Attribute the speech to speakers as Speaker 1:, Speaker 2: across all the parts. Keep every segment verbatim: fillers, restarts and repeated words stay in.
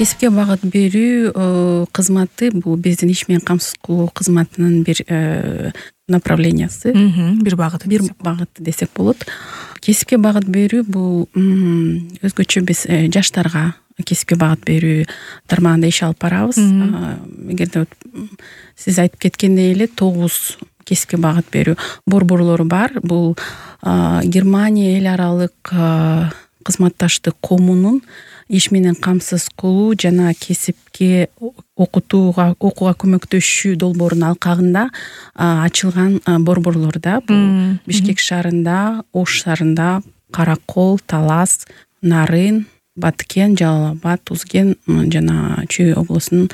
Speaker 1: кесипке багыт берүү кызматы бул биздин иш менен камсыз кылуу кызматынын бир направлениясы,
Speaker 2: бир багыты
Speaker 1: бир багыты десек болот. Кесипке багыт берүү бул өзгөчө биз жаштарга кесипке багыт берүү тармагында иш алып барабыз. Эгерде сиз айтып кеткендей эле тогуз кесипке багыт берүү борборлору бар. Бул Германия эл аралык кызматташтык комунун иш менен камсыз кылуу жана кесипке окутууга окууга көмөктөшүү долбоорунун алкагында ачылган борборлор да. Бул Бишкек шаарында, Ош шаарында, Каракол, Талас, Нарын, Баткен, Жалал Абад, Узген жана Чүй облусунун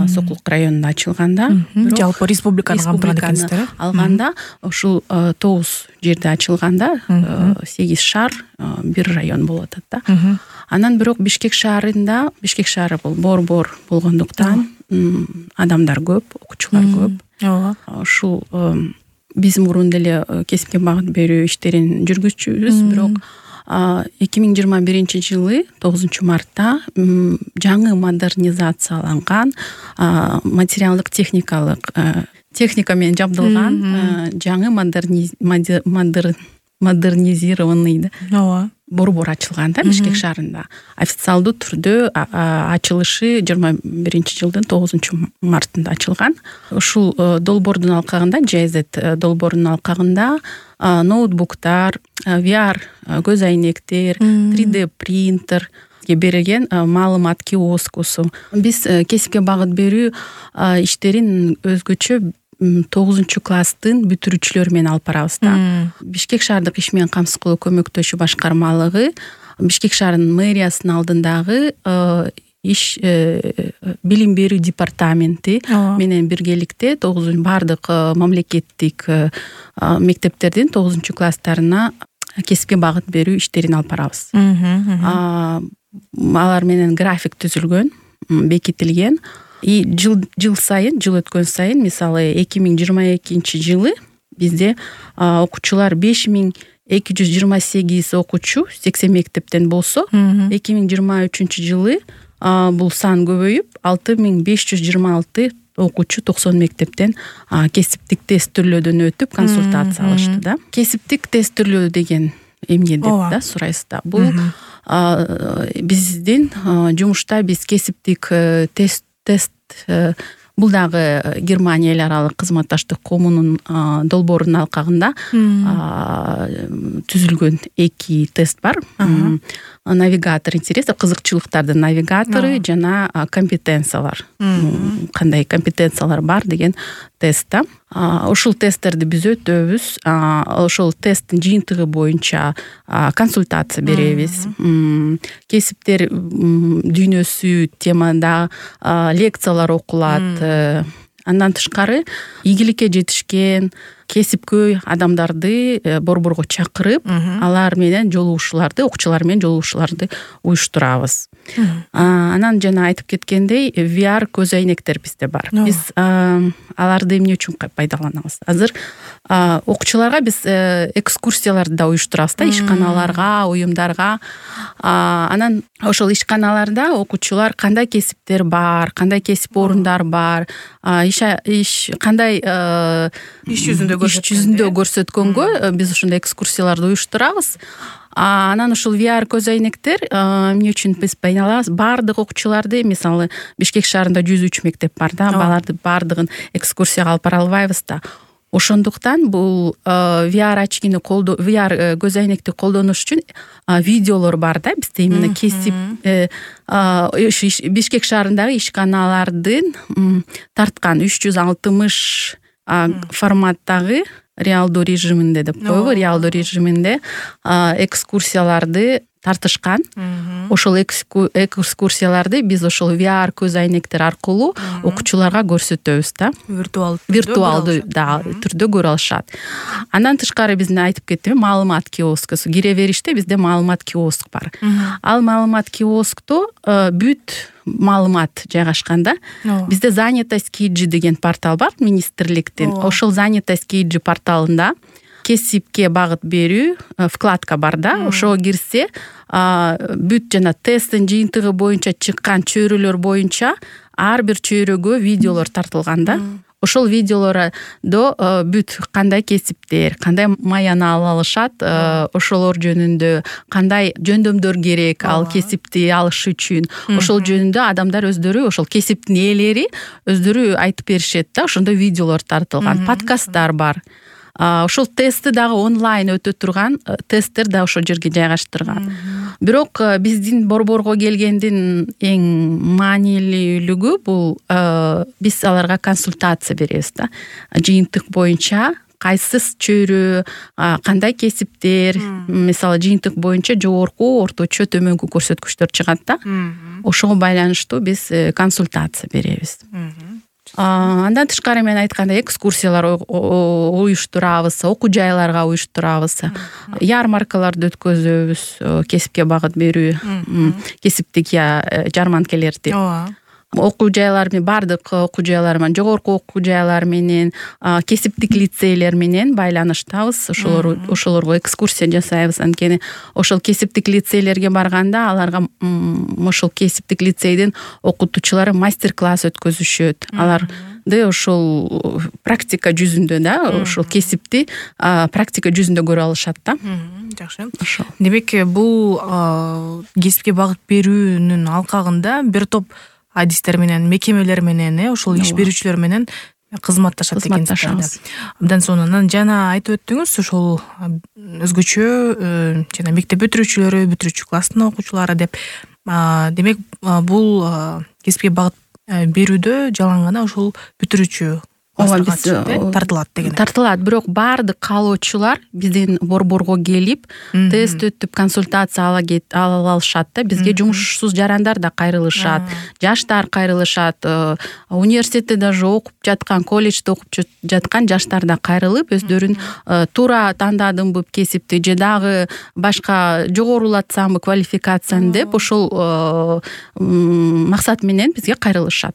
Speaker 1: Сокулук районунда ачылганда,
Speaker 2: жалпы республиканы камтыган экенсиздер.
Speaker 1: Алганда ушул тогуз жерде ачылганда сегиз шаар, бир район болуп атат да. Анан бирок Бишкек шаарында, Бишкек шаары бул борбор болгондуктан адамдар көп, окуучулар көп.
Speaker 2: Ооба.
Speaker 1: Ушул биз мурун деле кесипке багыт берүү иштерин жүргүзчүбүз, бирок эки миң жыйырма биринчи жылы тогузунчу мартта жаңы модернизацияланган материалдык техникалык техника менен жабдылган жаңы модернизированный борбор ачылган да Бишкек шаарында. Официалдуу түрдө ачылышы жыйырма биринчи жылдын тогузунчу мартында ачылган. Ушул долбоордун алкагында, джей зет долбоорунун алкагында ноутбуктар, ви ар көз айнектер, три дэ принтер берилген маалымат киоскусу. Биз кесипке багыт берүү иштерин өзгөчө тогузунчу класстын бүтүрүүчүлөрү менен алып барабыз да. Бишкек шаардык иш менен камсыз кылуу көмөктөшүү башкармалыгы Бишкек шаарынын мэриясынын алдындагы иш билим берүү департаменти менен биргеликте тогузунчу бардык мамлекеттик мектептердин тогузунчу класстарына кесипке багыт берүү иштерин алып барабыз. Алар менен график түзүлгөн, бекитилген. И жыл жыл сайын, жыл өткөн сайын, мисалы эки миң жыйырма экинчи жылы бизде окуучулар беш миң эки жүз жыйырма сегиз окуучу сексен мектептен болсо, эки миң жыйырма үчүнчү жылы бул сан көбөйүп алты миң беш жүз жыйырма алты окуучу токсон мектептен кесиптик тестирлөөдөн өтүп консультация алышты да. Кесиптик тестирлөө деген эмне деп да сурайсыз да. Бул биздин жумушта биз кесиптик тест тест бул дагы Германия эл аралык кызматташтык комунун долбоорунун алкагында түзүлгөн эки тест бар. Навигатор интересов, кызыкчылыктардын навигатору жана компетенциялар. Кандай компетенциялар бар деген тест да. Ушул тесттерди биз өтөбүз. Ошол тесттин жыйынтыгы боюнча консультация беребиз. Кесиптер дүйнөсү темада лекциялар окулат. Андан тышкары ийгиликке жетишкен кесипкөй адамдарды борборго чакырып, алар менен жолугушууларды, окуучулар менен жолугушууларды уюштурабыз. Анан жана айтып кеткендей, ви ар көз айнектер бизде бар. Биз аларды эмне үчүн пайдаланабыз? Азыр окуучуларга биз экскурсияларды да уюштурабыз да, ишканаларга, уюмдарга. Анан ошол ишканаларда окуучулар кандай кесиптер бар, кандай кесип орундар бар, иш иш кандай
Speaker 2: иш жүзүндө
Speaker 1: иш жүзүндө көрсөткөнгө биз ушундай экскурсияларды уюштурабыз. Анан ушул ви ар көз айнектер эмне үчүн биз пайдаланабыз? Бардык окуучуларды, мисалы Бишкек шаарында жүз үч мектеп бар да, баларды бардыгын экскурсияга алып бара албайбыз да. Ошондуктан бул ви ар очкини колдоо, ви ар көз айнекти колдонуш үчүн видеолор бар да, бизде именно кесип Бишкек шаарындагы ишканалардын тарткан үч жүз алтымыш форматтагы реалдуу режиминде деп коебу, реалдуу режиминде экскурсияларды тартышкан. Ошол экскурсияларды биз ошол ви ар көз айнектер аркылуу окуучуларга көрсөтөбүз да.
Speaker 2: Виртуалдуу
Speaker 1: виртуалдуу да түрдө көрө алышат. Андан тышкары биздин айтып кеттим, маалымат киоскусу. Кире бериште бизде маалымат киоск бар. Ал маалымат киоскто бүт маалымат жайгашканда, бизде занятость кейджи деген портал бар министрликтин. Ошол занятость кейджи порталында кесипке багыт берүү вкладка бар да, ошого кирсе бүт жана тесттин жыйынтыгы боюнча чыккан чөйрөлөр боюнча ар бир чөйрөгө видеолор тартылган да. Ошол видеолордо бүт кандай кесиптер, кандай маяны ала алышат, ошолор жөнүндө кандай жөндөмдөр керек ал кесипти алыш үчүн, ошол жөнүндө адамдар өздөрү, ошол кесиптин ээлери өздөрү айтып беришет да, ошондой видеолор тартылган, подкасттар бар. Ошол тестти дагы онлайн өтө турган тесттер да ошол жерге жайгаштырган. Бирок биздин борборго келгендин эң маанилүүлүгү бул биз аларга консультация беребиз да. Жыйынтык боюнча кайсы чөйрө, кандай кесиптер, мисалы жыйынтык боюнча жогорку, орточо, төмөнкү көрсөткүчтөр чыгат да. Ошого байланыштуу биз консультация беребиз. Андан тышкары мен айткандай экскурсиялар уюштурабыз, окуу жайларга уюштурабыз, ярмаркаларды өткөзөбүз, кесипке багыт берүү, кесиптик жарманкелерди. Окуу жайлар менен, бардык окуу жайлар менен, жогорку окуу жайлар менен, кесиптик лицейлер менен байланыштабыз. Ошолор ошолорго экскурсия жасайбыз. Анткени ошол кесиптик лицейлерге барганда аларга ошол кесиптик лицейдин окутуучулары мастер-класс өткөзүшөт. Аларды ошол практика жүзүндө да, ошол кесипти практика жүзүндө көрө алышат да.
Speaker 2: Жакшы. Демек, бул кесипке багыт берүүнүн алкагында бир топ адистер менен, мекемелер менен, ошол иш берүүчүлөр менен кызматташат экенсиз. Абдан сонун. Анан жана айтып өттүңүз, ошол өзгөчө жана мектеп бүтүрүүчүлөрү, бүтүрүүчү класстын окуучулары деп. Демек, бул кесипке багыт берүүдө жалаң гана ошол бүтүрүүчү тартылат деген.
Speaker 1: Тартылат, бирок баардык каалоочулар биздин борборго келип, тест өтүп, консультация ала алышат да. Бизге жумушсуз жарандар да кайрылышат, жаштар кайрылышат, университетте даже окуп жаткан, колледжде окуп жаткан жаштар да кайрылып, өздөрүн туура тандадымбы кесипти же дагы башка жогорулатсамбы квалификацияны деп ошол максат менен бизге кайрылышат.